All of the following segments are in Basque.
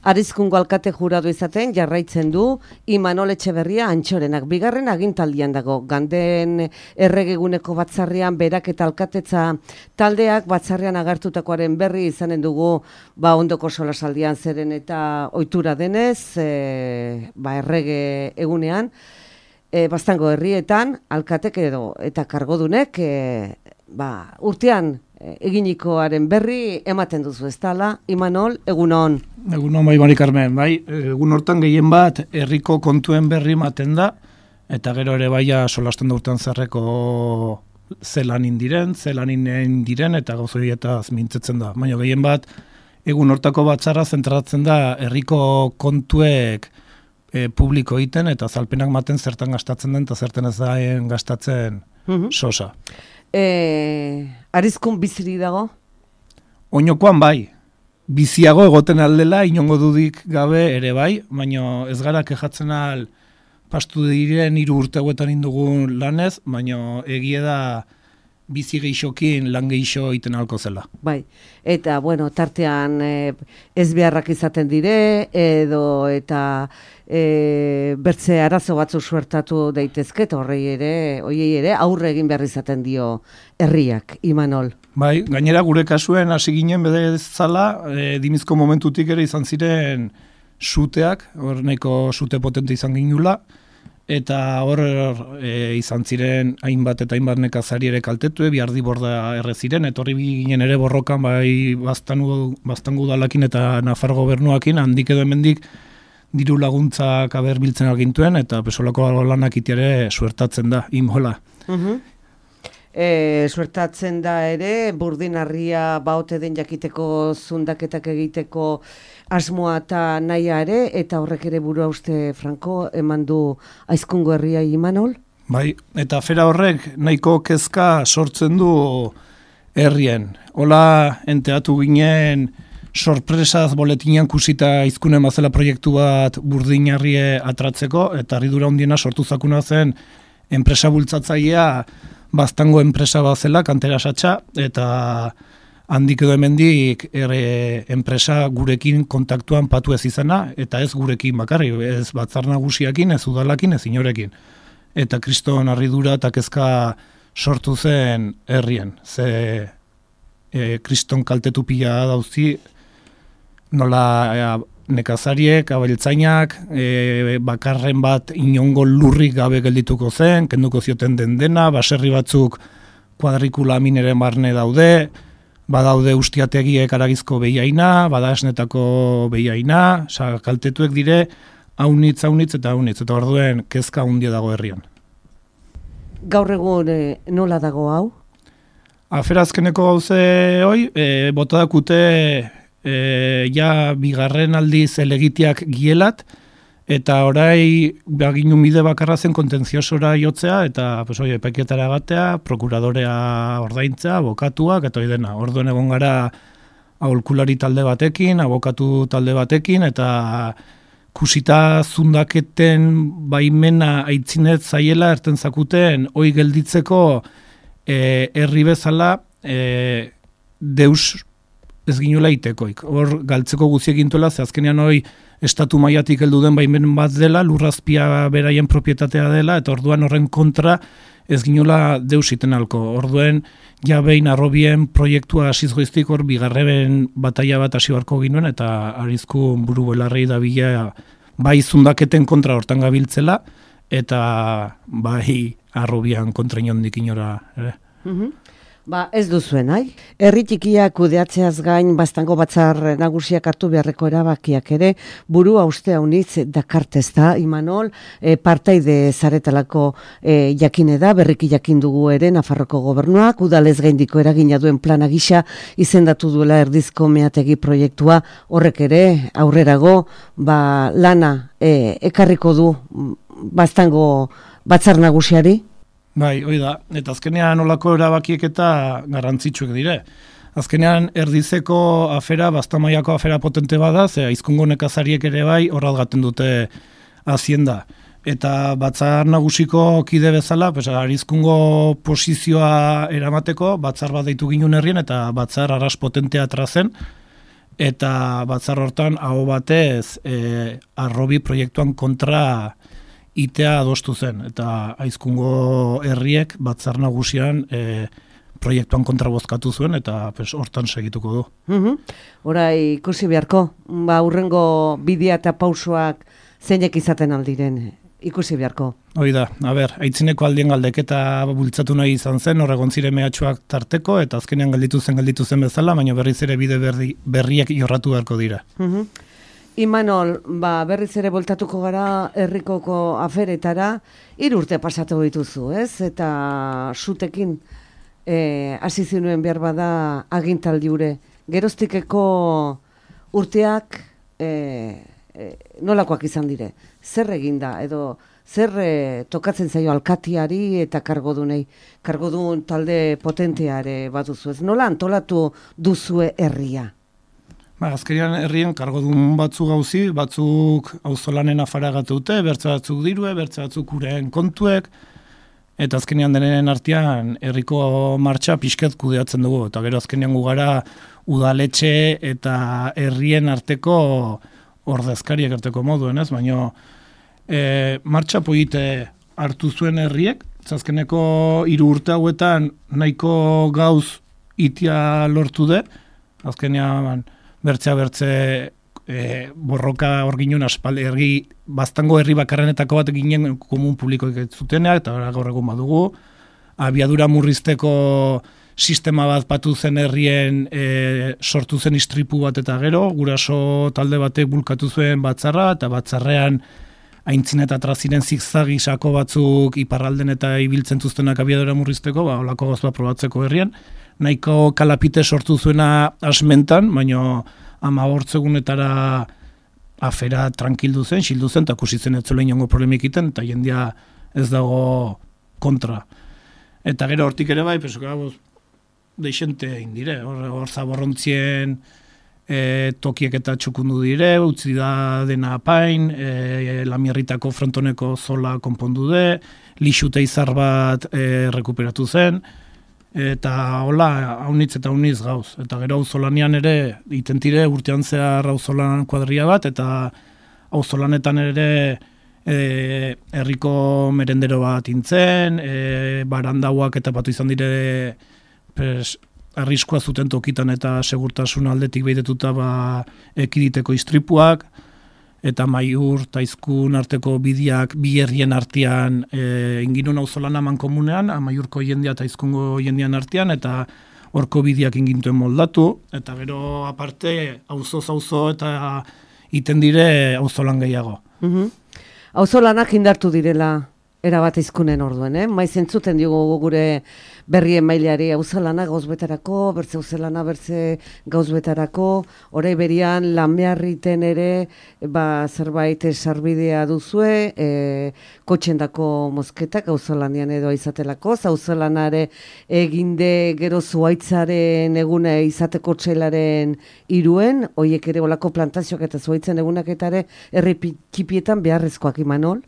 Arizkungo alkate jurado izaten jarraitzen du Imanol Etxeberria Antxorenak. Bigarren agintaldian dago. Ganden erregeguneko batzarrean berak eta alkatetza taldeak batzarrean agertutakoaren berri izanen dugu ondoko solasaldian zeren eta ohitura denez, errege egunean, Baztango herrietan alkatek edo eta kargodunek urtean eginikoaren berri ematen duzu, ez dala, Imanol, egunon. Egunon, bai, Mari Carmen, bai, egun hortan gehien bat herriko kontuen berri ematen da, eta gero ere baia solasten da urtean zerreko zelanin diren, eta gauzoietaz mintzetzen da. Baina gehien bat, egun hortako batzarra zentratzen da herriko kontuek publiko egiten, eta zalpenak maten zertan gastatzen den, eta zertan ez daen gastatzen sosa. Arizkun biziri dago? Oinokoan bai, biziago egoten aldela, inongo dudik gabe ere bai, baina ez gara kejatzen al pastu diren 3 urte hauetan indugun lanez, baina egie da bizi geixokin lan geixo iten alko zela. Bai, eta tartean ez beharrak izaten dire, eta bertze arazo batzu suertatu daitezke, eta hoiei ere aurre egin behar izaten dio herriak, Imanol. Bai, gainera gure kasuen hasi ginen bedezala, dimizko momentutik ere izan ziren suteak, hor nahiko sute potente izan ginula, eta hor izan ziren hainbat eta hainbat nekazari ere kaltetu, biardi borda erre ziren, eta horri ginen ere borrokan bai Baztango udalakin eta Nafar gobernuakin, handik edo hemendik diru laguntzak biltzen agintuen, eta pesolako lanak itiare suertatzen da, imhola. Suertatzen da ere, burdinarria baote den jakiteko zundaketak egiteko asmoa eta nahia ere, eta horrek ere burua uste Franco eman du Aizkungo herria, Imanol? Bai, eta afera horrek nahiko kezka sortzen du herrien. Hola enteatu ginen sorpresaz boletinean kusita Aizkune mazela proiektu bat burdinarrie atratzeko, eta harridura handiena sortu zakuna zen enpresa bultzatzailea Baztango enpresa bat zela, kantera satxa, eta handik edo hemendik enpresa gurekin kontaktuan patu ez izana, eta ez gurekin bakarri, ez batzar nagusiakin, ez udalakin, ez inorekin. Eta kriston harridura eta kezka sortu zen herrien. Ze kriston kaltetu pila dauzi, nola nekazariek, abeltzainak, bakarren bat inongo lurrik gabe geldituko zen, kenduko zioten dena, baserri batzuk kuadrikula mineren barne daude, badaude ustiategiek aragizko behiaina, bada esnetako behiaina, kaltetuek dire, haunitz eta orduen kezka hundia dago herrian. Gaur egun nola dago hau? Afera azkeneko gauze hoi, bota dakute bigarren aldiz elegitiak gielat, eta orai baginun bide bakarra zen kontentziosora jotzea, eta epaikietara batea, prokuradorea ordaintzea, abokatuak, eta dena. Orduen egon gara aholkulari talde batekin, abokatu talde batekin, eta kusita zundaketen baimena aitzinet zaiela erten zakuten, hoi gelditzeko herri bezala deus ez ginula itekoik. Hor galtzeko guziek gintuela, ze azkenean hoi estatu mailatik heldu den baimen bat dela, lurrazpia beraien propietatea dela, eta orduan horren kontra ez ginula deus iten alko. Orduen behin arrobien proiektua hasiz goiztik hor bigarren bataia bat hasi barko ginuen, eta Arizkun buru belarrei da bila bai zundaketen kontra hortan gabiltzela, eta bai arrobian kontra inondik inora ere. Ez duzuen, herri txikiak kudeatzeaz gain Baztango batzar nagusiak hartu beharreko erabakiak ere burua uste haunitz dakartez da, Imanol, partaide zaretalako jakine da, berriki jakin dugu ere Nafarroko gobernuak, udalez gaindiko eragina duen plana gisa izendatu duela erdizko meategi proiektua, horrek ere aurrerago lana ekarriko du Baztango batzar nagusiari? Bai, hoi da, eta azkenean olako erabakiek eta garrantzitsuek dire. Azkenean erdizeko afera, Baztamaiako afera potente bada, ze Aizkungo nekazariek ere bai horratgaten dute hazienda. Eta batzar nagusiko kide bezala, Arizkungo posizioa eramateko, batzar bat deitu ginen herrien, eta batzar arras potentea trazen, eta batzar hortan aho batez arrobi proiektuan kontra itea adostu zen, eta Aizkungo herriek batzar nagusian proiektuan kontra bozkatu zuen, eta hortan segituko du. Horai, ikusi beharko, hurrengo bidea eta pausoak zeinek izaten aldiren, ikusi beharko. Hoi da, aitzineko aldien galdeketa bultzatu nahi izan zen, horregon ziren mehatxuak tarteko, eta azkenean gelditu zen bezala, baina berriz ere bide berriak jorratu beharko dira. Imanol, berriz ere voltatuko gara herrikoko aferetara, 3 urte pasatu dituzu, ez? Eta sutekin hasi zinuen behar bada agintaldiure. Geroztikeko urteak nolakoak izan dire? Zer eginda, edo zer tokatzen zaio alkatiari eta kargodunei? Kargodun talde potenteare baduzu, ez? Nola antolatu duzue herria? Azkenean herrien kargodun batzuk auzolanen afaragatu dute, bertze batzuk dirue, bertze batzuk uren kontuek, eta azkenean denen artean herriko martxa pixket kudeatzen dugu, eta gero azkenean gugara udaletxe eta herrien arteko ordezkariek arteko moduen, ez? Baina martxa polite hartu zuen herriek, azkeneko 3 urte hauetan nahiko gauz itia lortu de, azkenean bertze borroka hor ginen aspaldi baztango herri bakarrenetako bat ginen komun publikoek zutenak, eta gaur egun badugu, abiadura murrizteko sistema bat batu zen herrien sortu zen istripu bat eta gero, guraso talde batek bulkatu zuen batzarra, eta batzarrean aintzin eta traziren zigzagisako batzuk iparralden eta ibiltzen zuztenak abiadura murrizteko, holako gauz bat probatzeko herrian, nahiko kalapite sortu zuena asmentan, baina 15 egunetara afera tranquildu zen, xildu zen, eta kusitzen ez zela inongo problemik iten, eta jendea ez dago kontra. Eta gero hortik ere bai, deixente indire, hor zaborrontzien tokiek eta txukundu dire, utzi da dena apain, Lamierritako frontoneko zola konpondu de, lixute izar bat rekuperatu zen, eta hola, haunitz eta hauniz gauz. Eta gero auzolanean ere, itentire urtean zehar auzolan kuadria bat, eta auzolanetan ere herriko merendero bat intzen, barandauak eta batu izan dire arriskua zuten tokitan eta segurtasun aldetik behidetuta ekiditeko istripuak, eta Maiur eta Aizkun arteko bidiak bi herrien artean inginun auzolana mankomunean, Maiurko jendea eta Aizkungo jendean artean, eta horko bidiak ingintuen moldatu, eta gero aparte auzo eta iten dire auzolan gehiago. Auzolanak indartu direla erabat Aizkunen orduen, maiz entzuten diogu gure berrien mailari auzolana gauzbetarako, bertze auzolana bertze gauzbetarako, orai berian Lamierriten ere zerbait sarbidea duzue, kotxendako mozketak auzolanean edo izatelako, auzolanare eginde gero zuaitzaren egune izateko txailaren 3, hoiek ere olako plantazioak eta zuaitzen egunaketare herri txipietan beharrezkoak, Imanol?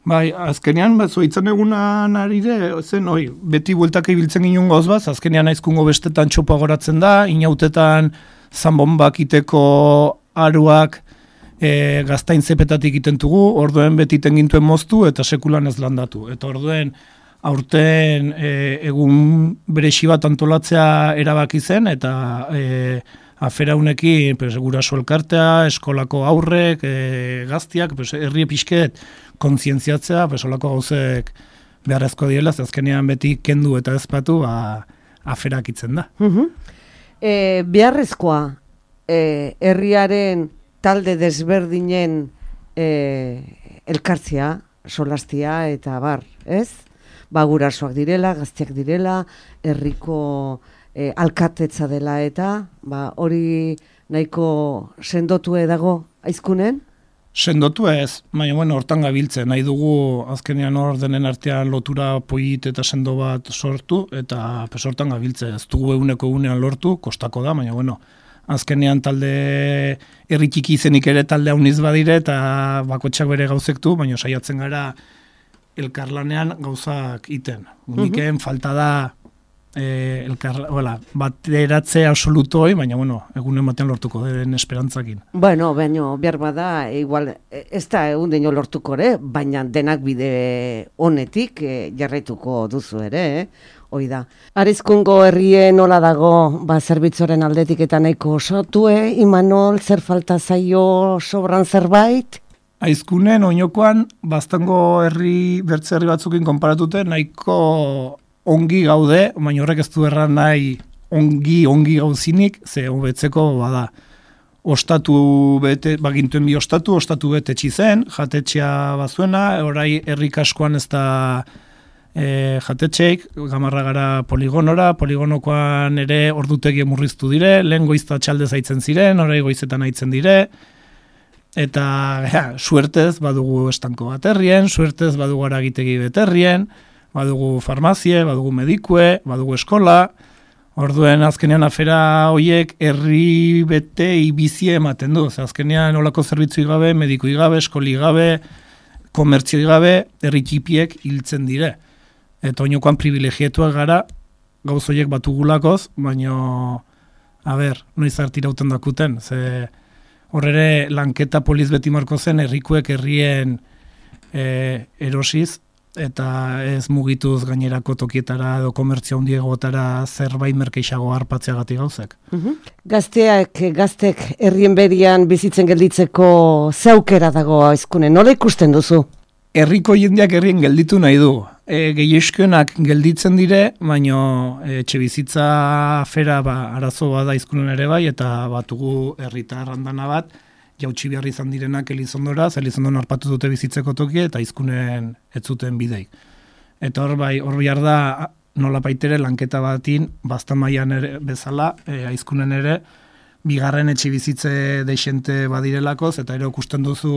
Bai, azkenean, zuaitzen egunan arire, zen, beti bueltak ibiltzen ginen gauz bat, azkenean Aizkungo bestetan txopa goratzen da, inautetan zanbonbak iteko aruak gaztain zepetatik itentugu, orduen beti tengintuen moztu eta sekulan ez landatu. Eta orduen, aurten egun beresi bat antolatzea erabaki zen, eta afera honekin guraso elkartea, eskolako aurrek, gaztiak, herri pixket kontzientziatzea, olako gauzek beharrezko diela, azkenean beti kendu eta ezpatu aferak itzen da. Beharrezkoa herriaren talde desberdinen elkartzea, solastia eta ez? Gurasoak direla, gaztiak direla, herriko alkatetza dela eta hori nahiko sendotu dago Aizkunen? Sendotu ez, baina hortan gabiltzen, nahi dugu azkenean hor denen artean lotura poit eta sendo bat sortu, eta hortan gabiltzen, ez dugu egunean lortu, kostako da, baina azkenean talde herri txiki izenik ere talde hauniz badire, eta bakotxak bere gauzektu, baina saiatzen gara elkarlanean gauzak iten. Uniken falta da bateratze absolutoi, baina, egunen batean lortuko den esperantzakin. Baina, behar bada, igual, ez da egun deino lortuko ere, baina denak bide honetik jarraituko duzu ere, hoi da. Arizkungo herrien nola dago, zerbitzoren aldetik eta nahiko osotue, Imanol, zer falta zaio sobran zerbait? Aizkunen, oinokoan, baztango bertze herri batzukin konparatute, nahiko ongi gaude, baina horrek ez du erran nahi ongi gauzinik, ze hobetzeko bada. Ostatu bete, bagintuen bi ostatu bete txizen, jatetxea bazuena, orai herrik askoan ez da jatetxeik, gamarra gara poligonokoan ere ordutegia murriztu dire, lehen goizta txalde zaitzen ziren, orai goizetan aitzen dire, eta suertez badugu estanko bat herrien, suertez badugu aragitegi bet herrien, badugu farmazie, badugu medikue, badugu eskola, orduen azkenean afera hoiek herri bete ibizie ematen du, azkenean olako zerbitzu gabe, mediku gabe, eskoli gabe, komertzio gabe, herri txipiek hiltzen dire. Eta oinokoan privilegietuak gara, gauz hoiek batugulakoz, baina, noiz artirauten dakuten, ze horre lanketa poliz beti marko zen, herrikuek herrien erosiz, eta ez mugituz gainerako tokietara edo komertzio handiegotara zerbait merkeixago harpatzeagatik gauzek. Gaztek herrien berian bizitzen gelditzeko zeukera dago Aizkunen, nola ikusten duzu? Herriko jendeak herrien gelditu nahi du. Gehieskenak gelditzen dire, baino etxe bizitza afera arazo bada Aizkunen ere bai, eta batugu herritar handana bat, jautsi behar izan direnak Elizondora, Elizondon harpatu dute bizitzeko toki eta Aizkunen ez zuten bideik. Eta hor behar da nola baitere lanketa batin, baztamaian ere bezala, Aizkunen ere, bigarren etxe bizitze deixente badirelakoz, eta ere okusten duzu